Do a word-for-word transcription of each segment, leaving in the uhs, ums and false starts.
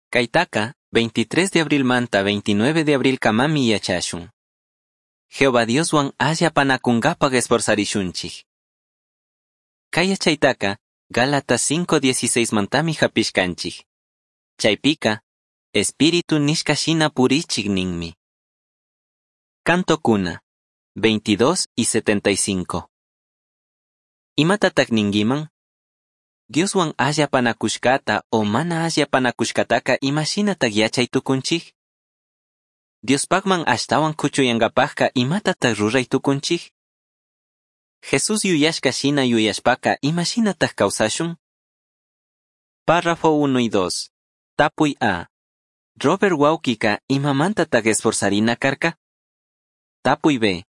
Caitaca veintitrés de abrilmanta veintinueve de abrilcamami yachashun. Jehová Dioshuan alli apanacungapaj esforzarishunchij. Cai yachaitaca Gálatas cinco dieciséis mantami japishcanchij. Chaipica, Espíritu nishca shina purichij ninmi. Cantocuna, veintidós y setenta y cinco. Imatataj ninguiman? Dioshuan alli apanacushcata o mana alli apanacushcataca ima shinataj yachai tucunchij? Diospajman ashtahuan cuchuyangapajca imatataj rurai tucunchij? Jesús yuyashca shina yuyashpaca ima shinataj causashun? Párrafo uno y dos. Tapui A. Robert huauquica imamantataj esforzarina carca? Tapui B.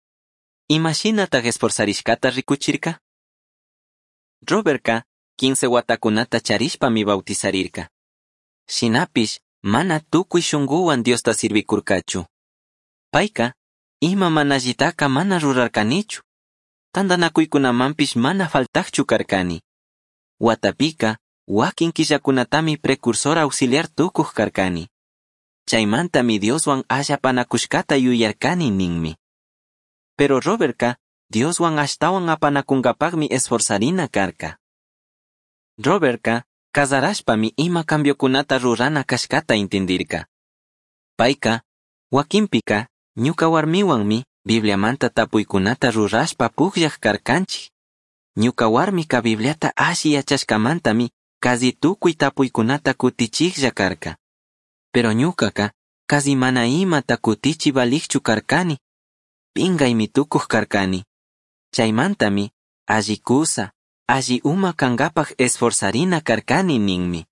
Ima shinataj esforzarishcata ricuchirca? Robertca quince huatacunata charishpami bautizarirca. Shinapish mana tucui shunguhuan Diosta sirvicurcachu. Paica ima mana allitaca mana rurarcanichu. Tandanacuicunamanpish mana faltajchu carcani. Huatapica huaquin quillacunatami precursor auxiliar tucuj carcani. Chaimantami Dioshuan alli apanacushcata yuyarcani ninmi. Pero Robertca Dioshuan ashtahuan apanacungapajmi esforzarina carca. Robertca cazarashpami ima cambiocunata rurana cashcata intindirca. Paica, huaquinpica, ñuca huarmihuanmi Bibliamanta tapuicunata rurashpa pugllaj carcanchij. Ñuca huarmica Bibliata alli yachashcamantami casi tucui tapuicunata cutichijlla carca. Pero ñucaca casi mana imata cutichi valijchu carcani. Pingaimi tucuj carcani. Chaimantami alli cusa, alli uma cangapaj esforzarina carcani ninmi.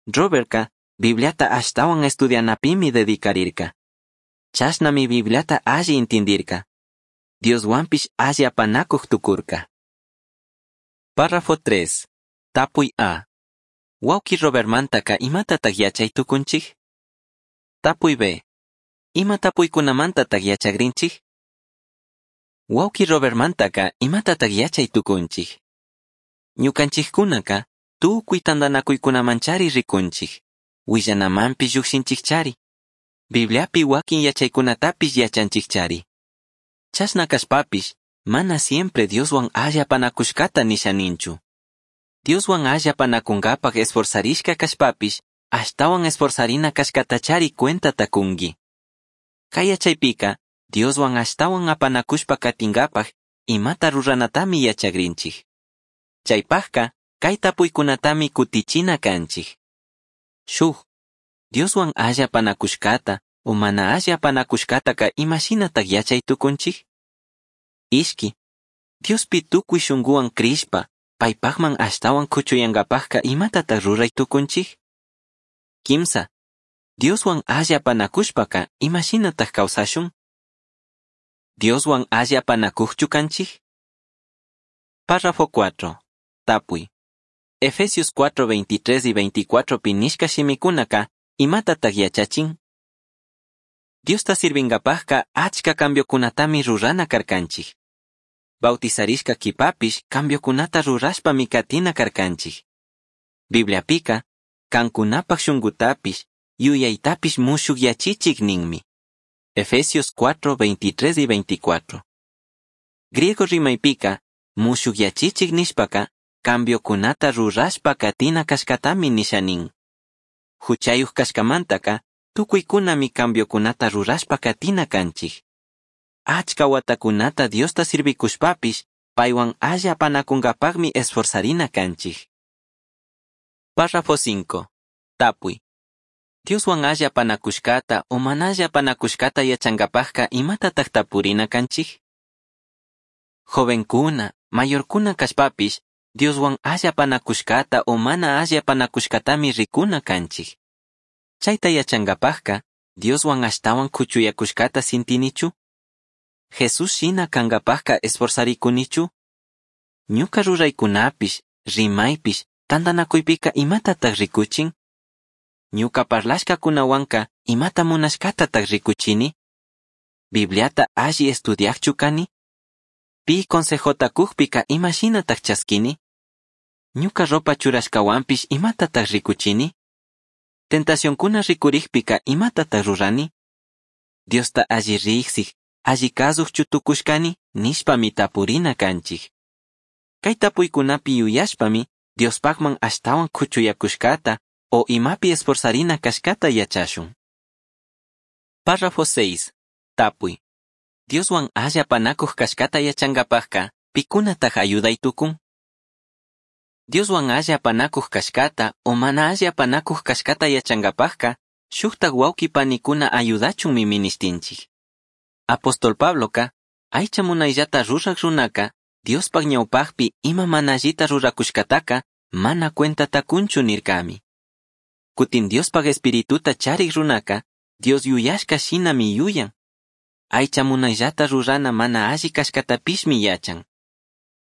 Robertca Bibliata ashtahuan estudianapimi dedicarirca. Chashnami Bibliata alli intindirca. Dioshuanpish alli apanacuj tucurca. Párrafo tres. Tapui A. Huauqui Robertmantaca imatataj yachai tucunchij? Tapui B. Ima tapuicunamantataj yachagrinchij? Huauqui Robertmantaca imatataj yachai tucunchij? Ñucanchijcunaca tucui tandanacuicunamanchari ricunchij. Huillanamanpish llujshinchijchari. Bibliapi huaquin yachaicunatapish yachanchijchari. Chashna cashpapish mana siempre Dioshuan alli apanacushcata nisha ninchu. Dioshuan alli apanacungapaj esforzarishca cashpapish ashtahuan esforzarina cashcatachari cuentata cungui. Cai yachaipica Dioshuan ashtahuan apanacushpa catingapaj imata ruranatami yachagrinchij. Chaipajca cai tapuicunatami cutichina canchij. Shuj, Dioshuan alli apanacushcata o mana alli apanacushcataca ima shinataj yachai tucunchij? Ishqui, Diospi tucui shunguhuan crishpa, paipajman ashtahuan cuchuyangapajca imatataj rurai tucunchij? Quimsa, Dioshuan alli apanacushpaca ima shinataj causashun? Dioshuan alli apanacujchu canchij? Párrafo cuatro. Tapui. Efesios cuatro, veintitrés y veinticuatro pinishca shimicunaca imatataj yachachin? Diosta sirvingapajca achca cambiocunatami rurana carcanchij. Bautizarishca quipapish cambiocunata rurashpami catina carcanchij. Bibliapica, cancunapaj shungutapish, yuyaitapish mushuj yachichij ninmi. Efesios cuatro, veintitrés y veinticuatro. Griego rimaypica, mushuj yachichij nishpaca, cambiocunata rurashpa catina cashcatami nisha nin. Juchayuj cashcamantaca, tucuicunami cambiocunata rurashpa catina canchij. Achca huatacunata Diosta sirvicushpapish, paihuan alli apanacungapajmi esforzarina canchij. Párrafo cinco. Tapui. Dioshuan alli apanacushcata o mana alli apanacushcata yachangapajca imatataj tapurina canchij? Jovencuna, mayorcuna cashpapish, Dioshuan alli apanacushcata o mana alli apanacushcatami ricuna canchij. Chaita yachangapajca, Dioshuan ashtahuan cuchuyacushcata sintinichu? Jesús shina cangapajca esforzaricunichu? Ñuca ruraicunapish, rimaipish, tandanacuipica imatataj ricuchin? Ñuca parlashcacunahuanca imata munashcatataj ricuchini? Bibliata alli estudiajchu cani? Pi consejota cujpica ima shinataj chasquini? Ñuca ropa churashcahuanpish imatataj ricuchini? Tentacioncuna ricurijpica imatataj rurani? Diosta alli rijsij, alli kazujchu tucushcani nishpami tapurina canchij. Cai tapuicunapi yuyashpami Diospajman ashtahuan cuchuyacushcata o imapi esforzarina cashcata yachashun. Párrafo seis. Tapui. Dioshuan alli apanacuj cashcata yachangapajca, picunataj ayudai tucun? Dioshuan alli apanacuj cashcata o mana alli apanacuj cashcata yachangapajca, shujtaj huauqui panicuna ayudachunmi minishtinchij. Apóstol Pabloca, aicha munaillata ruraj runaca, Diospaj ñaupajpi ima mana allita ruracushcataca, mana cuentata cunchu nircami. Cutin Diospaj espirituta charij runaca, Dios yuyashca shinami yuyan. Aicha munaillata rurana mana alli cashcatapishmi yachan.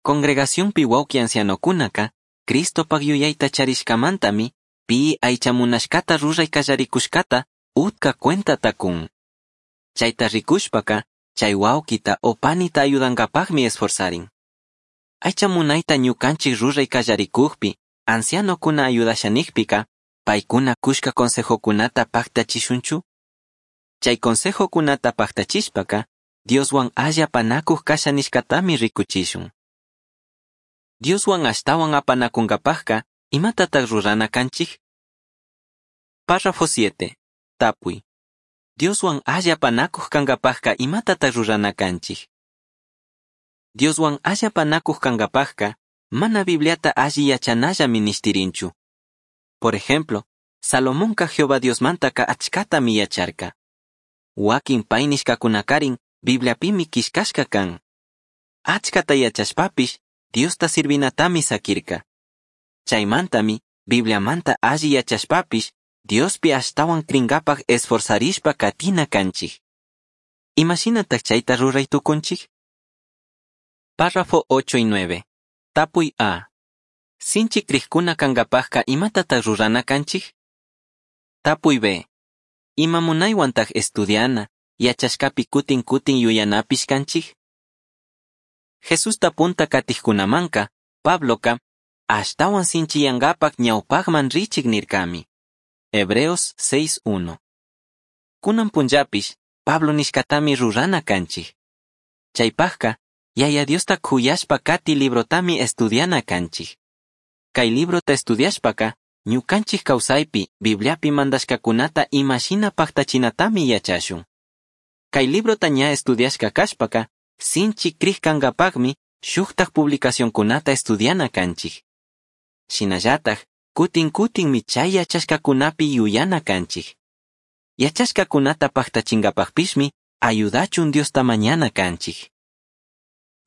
Congregacionpi huauqui ancianocunaca, Cristopaj yuyaita charishcamantami, pi aicha munashcata rurai callaricushcata utca cuentata cun. Chaita ricushpaca, chay huauquita o panita ayudankapajmi esforzarin. Aicha munaita ñukanchik rurai kallarikujpi, ancianokuna ayudashanikpika, paykuna kushka consejokunata paktachishunchu? Chay consejokunata paktachishpaka, Dioswan alli apanakuj kasha nishkatami rikuchishun. Dioswan ashtawan apanakunkapajka, imatataj rurana kanchik? Párrafo siete. Tapuy. Dioswan alli apanakuj kankapajka imatataj rurana kanchik? Dioswan alli apanakuj kankapajka, mana Bibliata alli yachanalla minishtirinchu. Por ejemplo, Salomonka Jehová Diosmantaka achkatami yacharka. Wakin pay nishkakunakarin Bibliapimi killkashka kan. Achkata yachashpapish Diosta sirvinatami sakirka. Chaymantami Bibliamanta alli yachashpapish Diospi ashtawan cringapaj esforzarishpa katina kanchik. Imashinataj chayta ruray tukunchik? Párrafo ocho y nueve. Tapuy A. Sinchi crijkuna kankapajka imatataj rurana kanchik? Tapuy B. Ima munaywantaj estudiana, yachashkapi kutin kutin yuyanapish kanchik? Jesusta punta katijkunamanka, Pabloka, ashtawan sinchiyankapak ñawpajman richik nirkami. Hebreos seis uno. Kunan punllapish, Pablo nishkatami rurana kanchik. Chaypajka, Yaya Diosta kuyashpa kati librotami estudiana kanchik. Kay librota estudiashpaka, ñukanchik kawsaypi, Bibliapi mandashkakunata imashina paktachinatami yachashun. Kay librota ña estudiashka kashpaka, sinchi krij kankapakmi shuktaj publicacionkunata estudiana kanchik. Shinallataj, kutin kutinmi chay yachashkakunapi yuyana kanchik. Yachashkakunata paktachinkapakpishmi ayudachun Diosta mañana kanchik.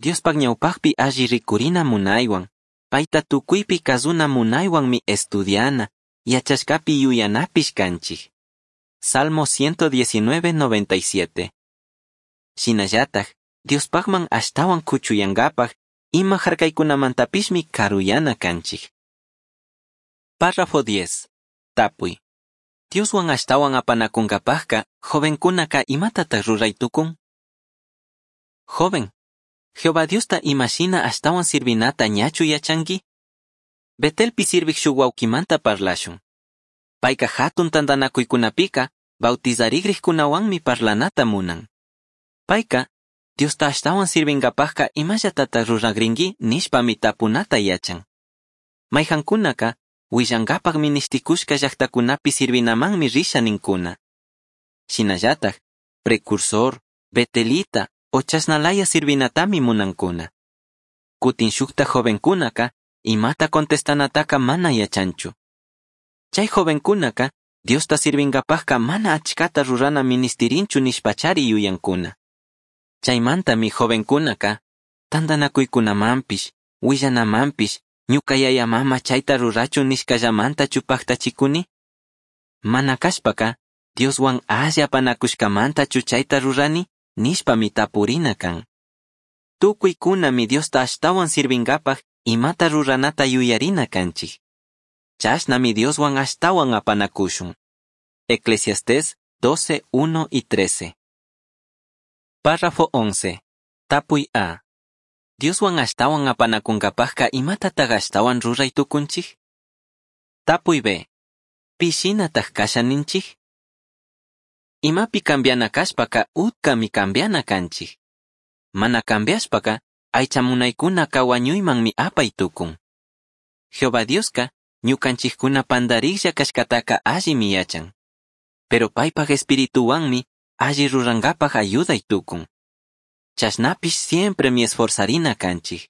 Diospaj ñawpajpi alli rikurina munaywan, payta tukuypi kazuna munaywanmi estudiana, yachashkapi yuyanapish kanchik. Salmo ciento diecinueve, noventa y siete. Shinallataj, Diospajman ashtawan kuchuyankapaj, ima harkaykunamantapishmi karuyana kanchik. Párrafo diez. Tapuy. Dioswan ashtawan apanakunkapajka, jovenkunaka imatataj ruray tukun? Joven, Jehová Diosta imashina ashtawan sirvinata ñachu yachanki? Betelpi sirvij shuk wawkimanta parlashun. Payka hatun tantanakuykunapika bautizarigrijkunawanmi parlanata munan. Payka, Diosta ashtawan sirvinkapajka imallatata ruragrinki nishpami tapunata yachan. Mayhankunaka, willankapaj ministikushka llaktakunapi sirvinamanmi risha ninkuna. Shinallataj, precursor, betelita o chasnalaya sirvinatami munankuna. Kutin shukta jovenkunaka, imata contestanataka mana yachanchu. Chay jovenkunaka, Diosta sirvinkapajka mana achkata rurana ministirinchu nishpachari yuyankuna. Chaymantami jovenkunaka, tantanakuykunamanpish, willanamanpish, ñuka yaya mama chayta rurachun nishkallamanta paktachikuni? Mana kashpaka, Dioswan alli apanakushkamantachu chayta rurani, nishpami tapurina kan. Tukuykunami Diosta ashtawan sirvinkapaj imata ruranata yuyarina kanchik. Chashnami Dioswan ashtawan apanakushun. Eclesiastés doce, uno y trece. Párrafo once. Tapuy A. Dioswan ashtawan apanakunkapajka imatataj ashtawan ruray tukunchik? Tapuy B. pi shinataj casha ninchij? Imapi cambiana cashpaca utcami cambiana canchij. Mana cambiashpaca aicha munaicunaca huañuimanmi apai tucun. Jehová Diosca ñucanchijcuna pandarijlla cashcataca allimi yachan. Pero paipaj espirituhuanmi alli rurangapaj ayudai tucun. Chashnapish siempremi esforzarina canchij.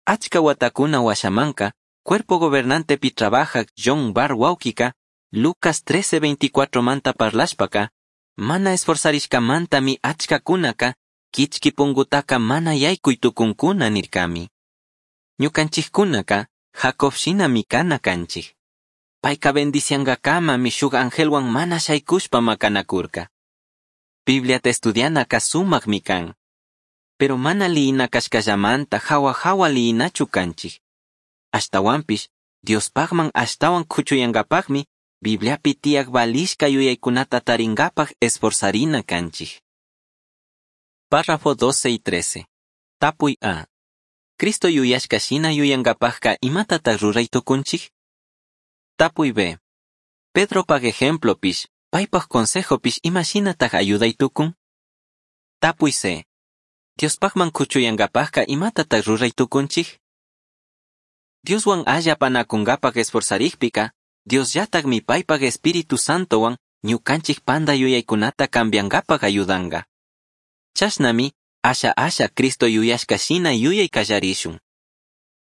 Achca huatacuna huashamanca, Cuerpo Gobernantepi trabajaj John Barr huauquica, Lucas trece veinticuatro manta parlashpaca, mana esforzarishcamantami achcacunaka quichqui pungutaca mana yaicui tucuncuna nircami. Ñucanchijcunaca Jacob shinami cana canchij. Paica bendiciangacamami shuj angelhuan mana shaicushpa macanacurca. Bibliata estudianaca sumajmi can. Pero mana liyina cashcallamanta jahua jahua liyinachu canchij. Ashtahuanpish, Diospajman ashtahuan cuchuyangapajmi Bibliapi tiyaj valishca yuyaicunata taringapaj esforzarina canchij. Párrafo doce y trece. Tapuy A. Cristo yuyashca shina yuyangapajca imatataj rurai tucunchij? Tapuy B. Pedropaj ejemplopish, paipaj consejopish ima shinataj ayudai tucun? Tapuy C. Diospajman cuchuyangapajca imatataj rurai tucunchij? Dioshuan alli apanacungapaj esforzarijpica, Diosllatajmi paipaj Espíritu Santohuan ñucanchij panda yuyaicunata cambiangapaj ayudanga. Chashnami, asha asha Cristo yuyashca shina yuyai callarishun.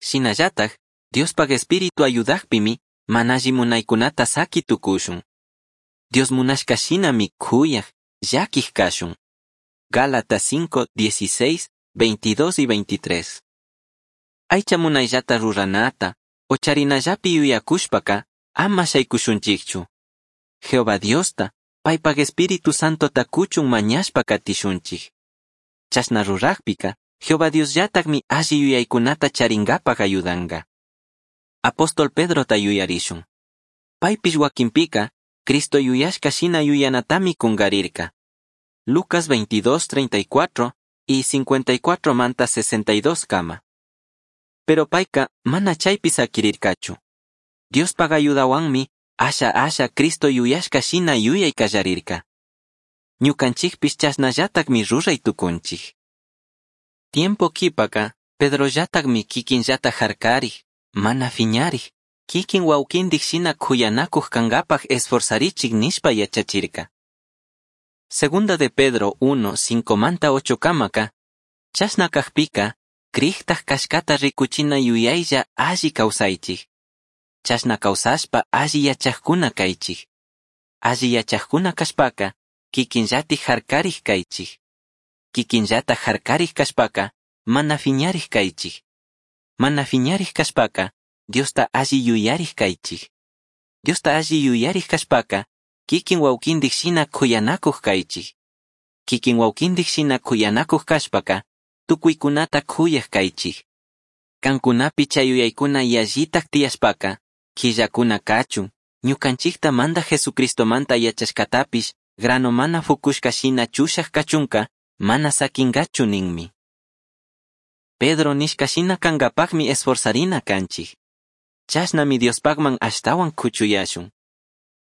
Shinallataj, Diospaj Espíritu ayudajpimi, mana alli munaicunata saqui tucushun. Dios munashca shinami cuyaj, llaquij cashun. Gálatas cinco, dieciséis, veintidós y veintitrés. Aicha munayllata ruranata, o charinallapi yuyakushpaka, ama shaykushunchikchu. Jehová Diosta, paipaj Espíritu Santota cuchun mañashpa katishunchik. Chashna rurajpika, Jehová Diosllatajmi alli yuyaykunata charingapaj ayudanga. Apóstol Pedrota yuyarishun. Paypish wakinpika, Cristo yuyashka shina yuyanatami kungarirka. Lucas veintidós, treinta y cuatro y cincuenta y cuatro manta sesenta y dos kama. Pero payka mana chaypi sakirirkachu. Diospaj ayudawanmi asha asha Cristo yuyashka shina yuyay kallarirka. Ñukanchikpish chashnallatakmi ruray tukunchik. Tiempo kipaka, Pedrollatakmi kikinllata harkarij, mana fiñarij, kikin wawkindik shina kuyanakuq kankapaj esforzarichik nishpa yachachirka. Segunda de Pedro uno, cinco manta ocho kamaka, chashna kajpika, crijtaj kashkata rikuchina yuyaylla alli kawsaychik. Chashna kawsashpa alli yachajkuna kaychik. Alli yachajkuna kashpaka, kikinllatik harkarij kaychik. Kikinllata harkarij kashpaka, mana fiñarij kaychik. Mana fiñarij kashpaka, Diosta alli yuyarij kaychik. Diosta alli yuyarij kashpaka, kikin wawkindik shina kuyanakuq kaychik. Kikin wawkindik shina kuyanakuq kashpaka, tukuykunata kuyaq kaychik. Kankunapi chay yuyaykuna yallitak tiyashpaka, killakuna kachun, ñukanchikta manda Jesucristomanta yachashkatapish, grano mana fukushka shina chushaq kachunka, mana sakingachu ninmi. Pedro nishka shina kankapaqmi esforzarina kanchik. Chashnami Diospaqman ashtawan kuchuyashun.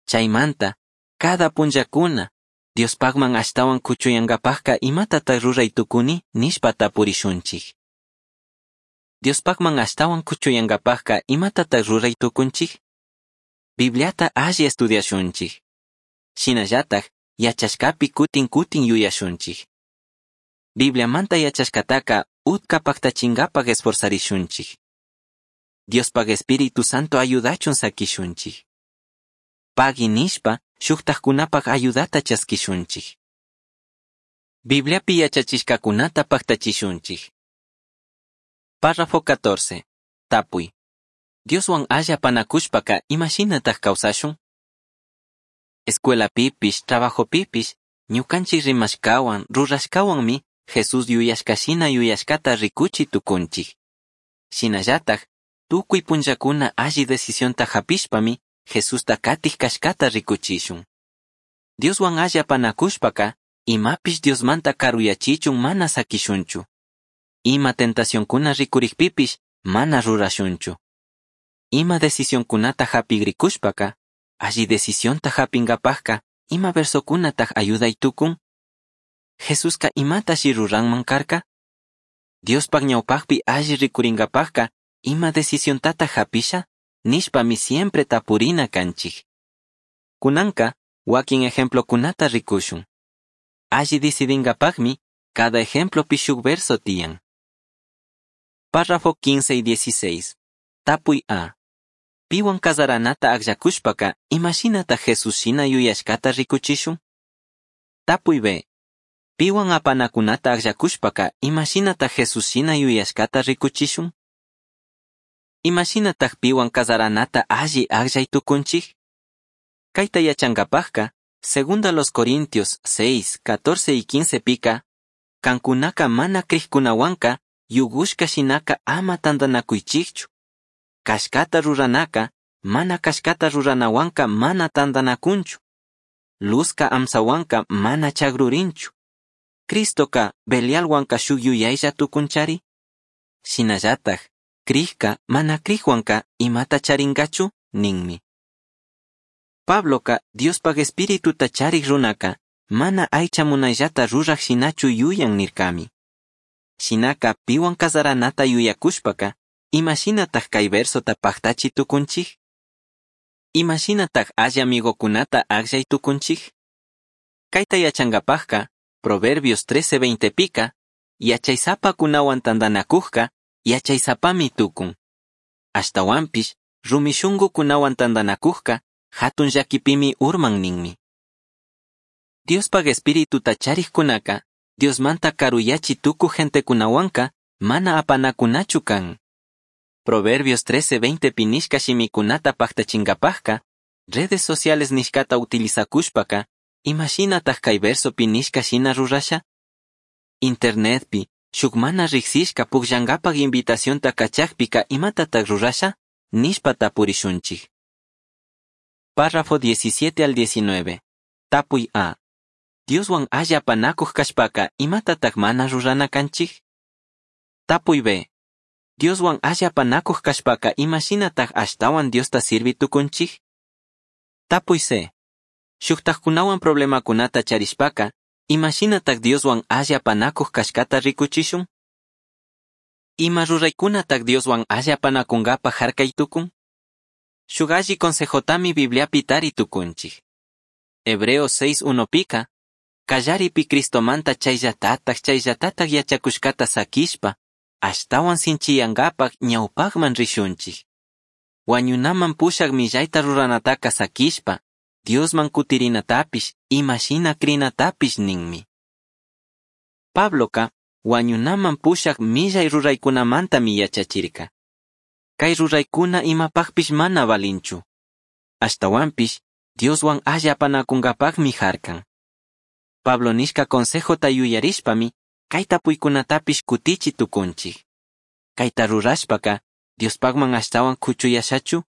Chaymanta, cada punllakuna, Diospaqman ashtawan kuchuyankapaqka imatataq ruray tukuni nishpa tapurishunchik. Diospaqman ashtawan kuchuyankapaqka imatataq ruray tukunchik? Bibliata alli estudiashunchik. Shinallataj yachashkapi kutin kutin yuyashunchik. Bibliamanta yachashkataka utka paktachinkapak esforzarishunchik. Diospaq Espíritu Santo ayudachun sakishunchik. Pagui nishpa shuktajkunapaq ayudata chaskishunchik. Bibliapi yachachishkakunata paktachishunchik. Párrafo catorce. Tapuy. Dioswan alla panakushpaka imashinataj kawsashun? Escuelapipish, trabajopipish, ñukanchik rimashkawan, rurashkawanmi Jesús yuyashkashina yuyashkata rikuchi tukunchik. Shinallataj, tukuy punllakuna alli decisionta hapishpami Jesusta katij kashkata rikuchishun. Dioswan alla panakushpaka, imapish Diosmanta karuyachichun mana sakishunchu. Ima tentacionkuna rikurikpipish mana rurashunchu. Ima decisionkunata hapigrikushpaka, Alli decisionta japingapajca ima versocunataj ayudai tucun? Jesusca imatashi ruranman carca? Diospaj ñaupajpi alli ricuringapajca ima decisiontataj japisha? Nishpami siempre tapurina canchij. Cunanca, huaquin ejemplocunata ricushun. Alli decidingapajmi, cada ejemplopi shuj verso tiyan. Párrafo quince y dieciséis. Tapuy A. Pihuan cazaranata agllakushpaka, imashinata Jesús shina yuyashkata rikuchishun? Tapuy B. Pihuan apanakunata agllakushpaka, imashinata Jesús shina yuyashkata rikuchishun? Imashinataq piwan cazaranata alli agllay tukunchik? Kayta yachankapajka, segunda los Corintios seis, catorce y quince pika, kankunaka mana crijkunawanka, yugushka shinaka ama tantanakuychikchu. Kashkata ruranaka, mana kashkata ruranawanka mana tantanakunchu. Luzka amsawanka mana chagrurinchu. Cristoka Belialwanka shuk yuyaylla tukunchari? Shinallataj, crijka mana crijwanka imata charingachu? Ninmi. Pabloka Diospaj espirituta charij runaka mana aycha munayllata ruraj shinachu yuyan nirkami. Shinaka piwan cazaranata yuyakushpaka, imashinataj kay versota pajtachi tukunchik? Imashinataj alli amigokunata akllay tukunchik? Kayta yachankapajka, Proverbios trece veinte pika, yachaysapakunawan tantanakujka, yachaysapami tukun. Ashtawanpish, rumi shunkukunawan tantanakujka, hatun llakipimi urman ninmi. Diospaj espirituta charijkunaka, Diosmanta karuyachi tukuj gentekunawanka, mana apanakunachu kan. Proverbios trece veinte nishka shimikunata pajtachinkapajka, redes sociales nishkata utilizakushpaka, imashinataj kay versopi nishka shina rurasha? Internetpi, shuk mana riksishka pukllankapaj invitacionta kachajpika imatataj rurasha? Nishpa tapurishunchik. Párrafo diecisiete al diecinueve. Tapuy A. Dioswan alli apanakuj kashpaka imatataj mana rurana kanchik? Tapuy B. Dioswan alli apanakuj kashpaka imashinataj ashtawan Diosta sirvi tukunchik? Tapuy C. Shuktajkunawan problemakunata charishpaka, imashinataj Dioswan alli apanakuj kashkata rikuchishun? Ima ruraykunataj Dioswan alli apanakunkapaj harkay tukun? Shuk alli consejotami Bibliapi tari tukunchik. Hebreos seis uno pika, kallaripi Cristomanta chayllatataj chayllatataj yachakushkata sakishpa, ashtawan sinchiyankapaj ñawpajman rishunchik. Wañunaman pushak millayta ruranataka sakishpa, Diosman kutirinatapish, imashina krinatapish ninmi. Pabloka, wañunaman pushak millay ruraykunamantami yachachirka. Kay ruraykuna imapajpish mana valinchu. Ashtawanpish, Dioswan alli apanakunkapajmi harkan. Pablo nishka consejota yuyarishpami, kay tapuykunatapish kutichi tukunchik. Kayta rurashpaka, Diospajman ashtawan kuchuyashachu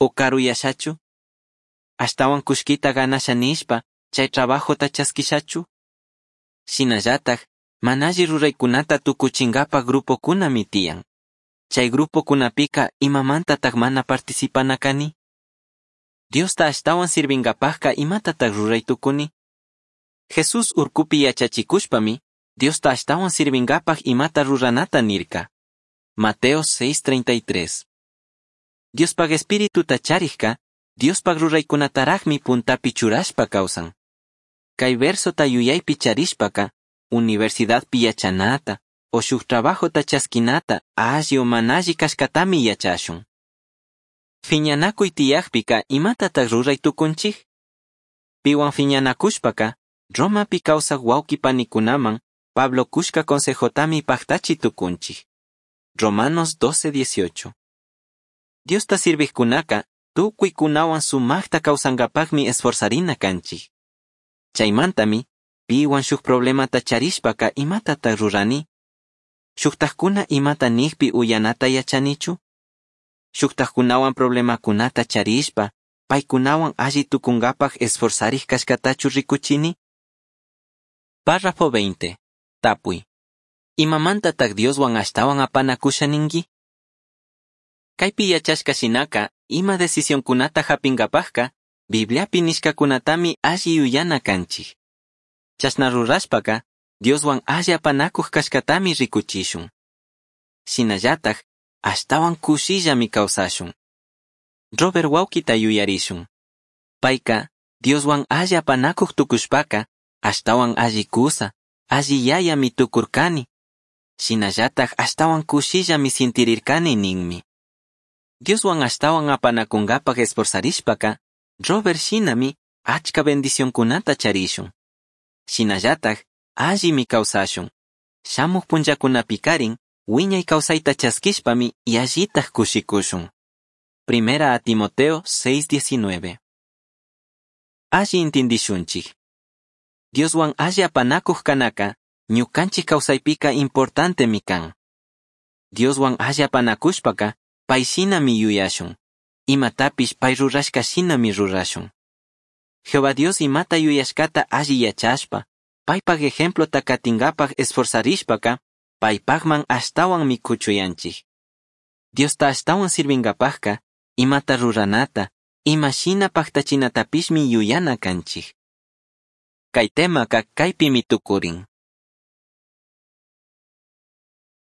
o karuyashachu? Ashtawan kushkita ganasha nishpa, chay trabajota chaskishachu? Shinallataj, mana alli ruraykunata tukuchinkapaj grupokunami tiyan. Chay grupokunapika imamantataj mana participana kani? Diosta ashtawan sirvinkapajka imatataj ruray tukuni? Jesús urkupi yachachikushpami, Diosta ashtawan sirvinkapaj imata ruranata nirka. Mateo seis treinta y tres. Diospaj espirituta charijka, Diospaj ruraykunatarajmi puntapi churashpa kawsan. Kay versota yuyaypi charishpaka, universidadpi yachanata, o shuk trabajota chaskinata, alli o mana alli kashkatami yachashun. Fiñanakuy tiyajpika imatataj ruray tukunchik? Piwan fiñanakushpaka, Romapi kawsaj wawqi panikunaman, Pablo kushka consejotami pajtachi tukunchik. Romanos doce dieciocho. Diosta sirvijkunaka, tukuykunawan sumajta kawsankapajmi esforzarina kanchik. Chaymantami, piwan shuk problemata charishpaka imatataj rurani? Shuktajkuna imata nijpi uyanata yachanichu? Shuktajkunawan problemakunata charishpa, paykunawan alli tukunkapaj esforzarij kashkatachu rikuchini? Párrafo veinte. Tapuy. Imamantataj Dioswan ashtawan apanakusha ninki? Kaypi yachashka shinaka, ima decisionkunata japinkapajka, Bibliapi nishcacunatami alli yuyana canchij. Chashna rurashpaca Dioshuan alli apanacuj cashcatami ricuchishun. Shinallataj ashtahuan cushillami causashun. Robert huauquita yuyarishun. Paica Dioshuan alli apanacuj tucushpaca ashtahuan alli cusa, alli yayami tucurcani. Shinallataj ashtahuan cushillami sintirircani ninmi. Dioshuan ashtahuan apanacungapaj esforzarishpaca Robert shinami achca bendicioncunata charishun. Shinallataj allimi causashun. Shamuj punllacunapicarin huiñai causaita chasquishpami yallitaj cushicushun. Primera a Timoteo seis diecinueve. Alli intindishunchij. Dioshuan alli apanacuj canaca ñucanchij causaipika importantemi can. Dioshuan alli apanacushpaca pai shinami yuyashun. Imatapish pai rurashca shinami rurashun. Jehová Dios imata yuyashcata alli yachashpa, paipaj ejemplota catingapaj esforzarishpaca, paipajman ashtahuanmi cuchuyanchij. Diosta ashtahuan sirvingapajca, imata ruranata, ima shina pajtachinatapishmi yuyana canchij. Cai temaca caipimi tucurin.